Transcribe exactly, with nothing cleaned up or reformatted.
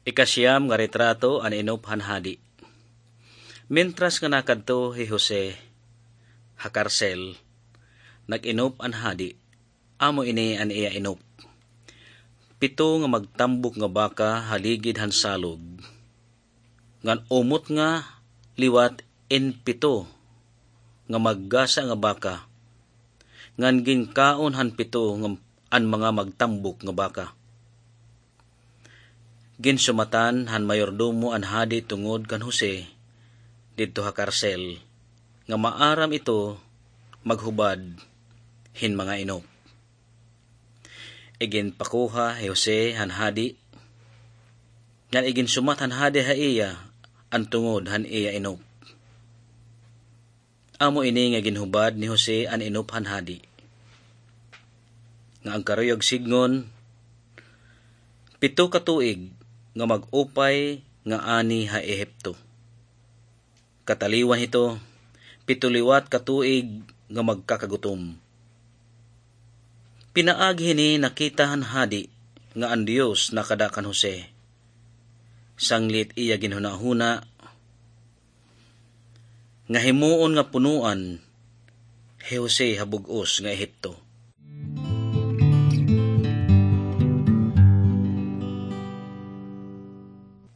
Ikasiyam nga retrato, an inop han hadi. Mientras nga nakadto hi Jose ha karsel, nag-inop an hadi. Amo ini an iya inop: pito nga magtambok nga baka ha ligid han salog, ngan umot nga liwat in pito nga maggasa nga baka, ngan ginkaon han pito nga, an mga magtambok nga baka. Ginsumatan han mayordomo an hadi tungod kan Jose didto ha karsel, nga maaram ito maghubad hin mga inop. Iginpakuha hi Jose han hadi, ngan iginsumat han hadi ha iya an tungod han iya inop. Amo ini nga ginhubad ni Jose an inop han hadi, nga an karuyag sidngon, pito ka tuig nga mag-upay nga ani ha Ehipto. Kataliwan hito, pito liwat ka tuig nga magkakagutom. Pinaagi hini, nakita han hadi nga an Dios nakada kan Jose. Sanglit iya ginhunahuna nga himoon nga punoan hi Jose ha bug-os nga Ehipto.